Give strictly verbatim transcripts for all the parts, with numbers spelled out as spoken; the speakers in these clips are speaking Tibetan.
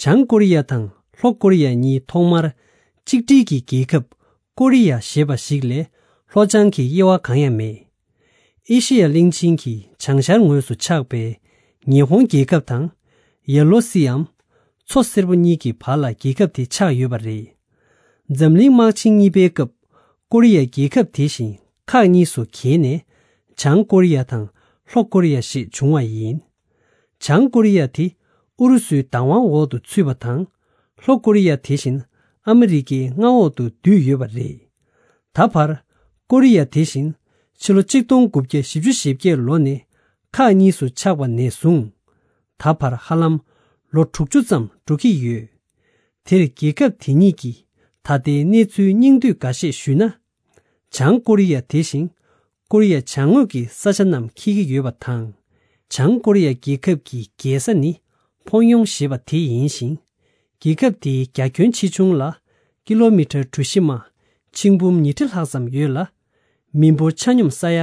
བྱང་ཀོ་རི་ཡ་དང་ལྷོ་ཀོ་རི་ཡ་གཉིས་ཐོག་མར་གཅིག་སྒྲིལ་གྱི་རྒྱལ་ཁབ་ཀོ་རི་ཡ་ཞེས་པ་ཞིག་ལས་ལྷོ་བྱང་གི་དབྱེ་བ་གང་ཡང་མེད། ཨེ་ཤེ་ཡ་གླིང་ཆེན་གྱི་བྱང་ཤར་ངོས་སུ་ཆགས་པའི་ཉི་ཧོང་རྒྱལ་ཁབ་དང་། ཡེ་ལོ་སིའམ་མཚོ་སེར་པོ་གཉིས་ཀྱི་བར་ལ་རྒྱལ་ཁབ་དེ་ཆགས་ཡོད་པ་རེད། འཛམ་གླིང་དམག་ཆེན་གཉིས་པའི་སྐབས་ཀོ་རི་ཡ་རྒྱལ་ཁབ་དེ་བཞིན་ཁག་གཉིས་སུ་གྱེས་ནས་བྱང་ཀོ་རི་ཡ་དང་ལྷོ་ཀོ་རི་ཡ་ཞེས་བྱུང་བ་ཡིན། བྱང་ཀོ་རི་ཡ་དེ་ཨུ་རུ་སུའི་བདག་དབང་འོག་ཏུ་ཚུད་པ་དང་། ལྷོ་ཀོ་རི་ཡ་དེ་བཞིན་ཨ་མི་རི་ཀའི་མངའ་འོག་ཏུ་བསྡུས་ཡོད་པ་རེད། ད་བར་ཀོ་རི་ཡ་དེ་བཞིན་ཕྱི་ལོ་གཅིག་སྟོང་དགུ་བརྒྱ་བཞི་བཅུ་ཞེ་བརྒྱད་ལོ་ནས་ཁག་གཉིས་སུ་ཆགས་པ་ནས་བཟུང་། ད་བར་ཧ་ལམ་ལོ་དྲུག་ཅུ་ཙམ་འགྲོ་གི་ཡོད། དེར་རྒྱལ་ཁབ་དེ་གཉིས་ཀྱི་ད་ལྟའི་གནས་ཚུལ་སྙིང་བསྡུས་འགའ་ཤས་ཞུས་ན། བྱང་ཀོ་རི་ཡ་དེ་བཞིན་ཀོ་རི་ཡ་བྱང་ངོས་ཀྱི་ས་ཆ་རྣམས་འཁེལ་གྱི་ཡོད་པ་དང་། བྱང་ཀོ་རི་ཡ་རྒྱལ་ཁབ་ཀྱི་རྒྱལ་ས་ནི་ཕོང་ཡོང་ཞེས་པ་དེ་ཡིན་ཞིང་། རྒྱལ་ཁབ་དེའི་རྒྱ་ཁྱོན་ཆེ་ཆུང་ལ་ཀི་ལོ་མི་ཊར་གྲུ་བཞི་མ་ཆིག་འབུམ་ཉིས་ཁྲི་ལྷག་ཙམ་ཡོད་ལ། མི་འབོར་ཆ་སྙོམས་ས་ཡ་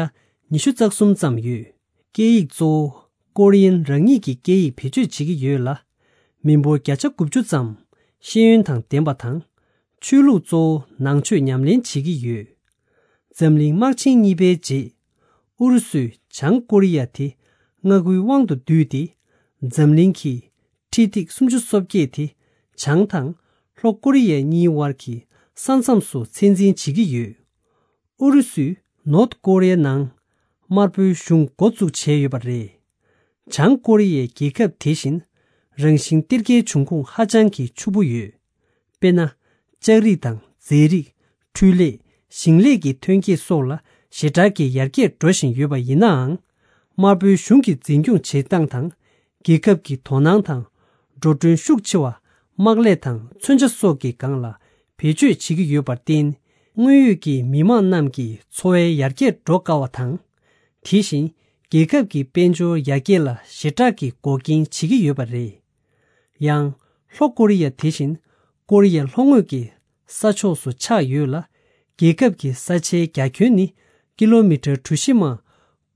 ཉི་ཤུ་རྩ་གསུམ་ཙམ་ཡོད། སྐད་ཡིག་གཙོ་བོ་ཀོ་རི་ཡན་རང་ཉིད་ཀྱི་སྐད་ཡིག་བེད་སྤྱོད་བྱེད་ཀྱི་ཡོད་ལ། མི་འབོར་བརྒྱ་ཆ་དགུ་བཅུ་ཙམ་ཤེས་ཡོན་དང་ལྡན་པ་དང་། ཆོས་ལུགས་གཙོ་བོ་ནང་ཆོས་ཉམས་ལེན་བྱེད་ཀྱི་ཡོད། འཛམ་གླིང་དམག་ཆེན་གཉིས་པའི་རྗེས། ཨུ་རུ་སུས་བྱང་ཀོ་རི་ཡ་དེ་མངའ་ཁུལ་དབང་དུ་བསྡུས་ཏེ། འཛམ་གླིང་གི་ཁྲི་ཐིག་སུམ་ཅུ་སོ་བརྒྱད་དེ་བྱང་དང་ལྷོ་ཀོ་རི་ཡ་གཉིས་དབར་གྱི་ས་མཚམས་སུ་ཚད་འཛིན་བྱེད་ཀྱི་ཡོད། ཨུ་རུ་སུས་ནོར་ཐ་ཀོ་རི་ཡའི་ནང་དམར་པོའི་གཞུང་འགོ་བཙུགས་བྱས་ཡོད་པ་རེད། བྱང་ཀོ་རི་ཡའི་རྒྱལ་ཁབ་དེ་བཞིན་རང་བཞིན་གཏེར་ཁའི་འབྱུང་ཁུངས་ཧ་ཅང་གི་ཕྱུག་པོ་ཡོད། དཔེར་ན། ལྕགས་རིགས་དང་རྫས་རིགས། འཕྲུལ་ལས། ཞིང་ལས་ཀྱི་ཐོན་སྐྱེད་སོགས་ལ་ཞེ་དྲག་གི་ཡར་རྒྱས་འགྲོ་བཞིན་ཡོད་པ་ཡིན་ནའང་། དམར་པོའི་གཞུང་གི་འཛིན་སྐྱོང་བྱེད་སྟངས་དང་། རྒྱལ་ཁབ་ཀྱི་དོ་སྣང་དང་། འགྲོ་གྲོན་ཤུགས་ཆེ་བ། དམག་ལས་དང་མཚོན་ཆ་སོགས་ཀྱི་སྒང་ལ་བེད་སྤྱོད་བྱེད་ཀྱི་ཡོད་པར་བརྟེན། དངོས་ཡོད་ཀྱི་མི་དམངས་རྣམས་ཀྱི་འཚོ་བའི་ཡར་རྒྱས་འགྲོ་དཀའ་བ་དང་། དེ་བཞིན་རྒྱལ་ཁབ་ཀྱི་དཔལ་འབྱོར་ཡར་རྒྱས་ལ་ཞེ་དྲག་གི་འགོག་རྐྱེན་བྱེད་ཀྱི་ཡོད་པ་རེད། ཡང་། ལྷོ་ཀོ་རི་ཡ་དེ་བཞིན་ཀོ་རི་ཡའི་ལྷོ་ངོས་ཀྱི་ས་ཕྱོགས་སུ་ཆགས་ཡོད་ལ། རྒྱལ་ཁབ་ཀྱི་ས་ཆའི་རྒྱ་ཁྱོན་ནི་ཀི་ལོ་མི་ཊར་གྲུ་བཞི་མ་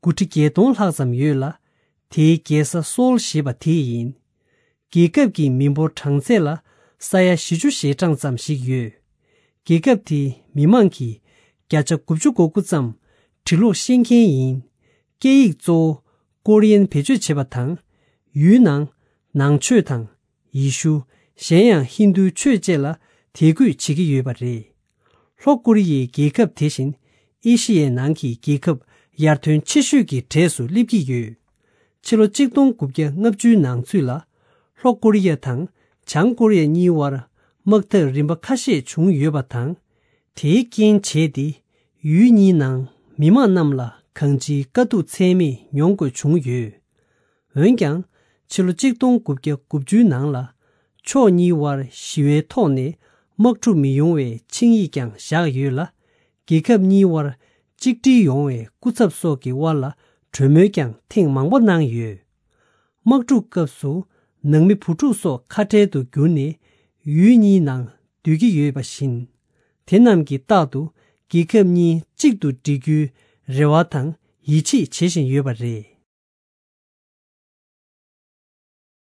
དགུ་ཁྲི་བརྒྱད་སྟོང་ལྷག་ཙམ་ཡོད་ལ། དེའི་རྒྱལ་ས་སོལ་ཞེས་པ་དེ་ཡིན། རྒྱལ་ཁབ་ཀྱི་མི་འབོར་གྲངས་ཚད་ལ་ས་ཡ་བཞི་བཅུ་ཞེ་གྲངས་ཙམ་ཞིག་ཡོད། རྒྱལ་ཁབ་དེའི་མི་མང་གི་བརྒྱ་ཆ་དགུ་བཅུ་གོ་དགུ་ཙམ་འབྲི་ཀློག་ཤེས་མཁན་ཡིན། སྐད་ཡིག་གཙོ་བོ་ཀོ་རི་ཡན་བེད་སྤྱོད་བྱེད་པ་དང་། ཡུལ་ནང་ནང་ཆོས་དང་། ཡེ་ཤུ། གཞན་ཡང་ཧིན་རྡུའི་ཆོས་བཅས་ལ་དད་གུས་བྱེད་ཀྱི་ཡོད་པ་རེད། ལྷོ་ཀོ་རི་ཡའི་རྒྱལ་ཁབ་དེ་བཞིན་ཨེ་ཤི་ཡའི་ནང་གི་རྒྱལ་ཁབ་ཡར་ཐོན་ཆེ་ཤོས་ཀྱི་གྲས་སུ་སླེབས་ཀྱི་ཡོད། ཕྱི་ལོ་གཅིག་སྟོང་དགུ་བརྒྱ་ལྔ་བཅུའི་ནང་ཚུད་ལ། ལྷོ་ཀོ་རི་ཡ་དང་བྱང་ཀོ་རི་ཡ་གཉིས་དབར་དམག་འཐབ་རིམ་པ་ཁ་ཤས་བྱུང་ཡོད་པ་དང་། དེའི་རྐྱེན་བྱས་ཏེ། ཡུལ་གཉིས་ནང་མི་མང་རྣམས་ལ་གང་ཅིའི་དཀའ་སྡུག་ཚད་མེད་མྱོང་དགོས་བྱུང་ཡོད། འོན་ཀྱང་། ཕྱི་ལོ་གཅིག་སྟོང་དགུ་བརྒྱ་དགུ་བཅུའི་ནང་ལ། ཕྱོགས་གཉིས་དབར་ཞི་བའི་ཐོག་ནས་དམག་འཁྲུག་མི་ཡོང་བའི་ཆིངས་ཡིག་ཀྱང་བཞག་ཡོད་ལ། རྒྱལ་ཁབ་གཉིས་དབར་གཅིག་སྒྲིལ་ཡོང་བའི་སྐུ་ཚབ་སོགས་ཀྱི་དབར་ལ་གྲོས་མོལ་ཀྱང་ཐེངས་མང་པོ་གནང་ཡོད། དམག་འཁྲུག་སྐབས་སུ་ནང་མི་བུ་ཕྲུག་སོགས་ཁ་བྲལ་དུ་གྱུར་ནས་ཡུལ་གཉིས་ནང་སྡོད་ཀྱི་ཡོད་པ་བཞིན། དེ་རྣམས་ཀྱིས་རྟག་ཏུ་རྒྱལ་ཁབ་གཉིས་གཅིག་ཏུ་སྒྲིལ་རྒྱུའི་རེ་བ་དང་ཡིད་ཆེས་བྱེད་བཞིན་ཡོད་པ་རེད།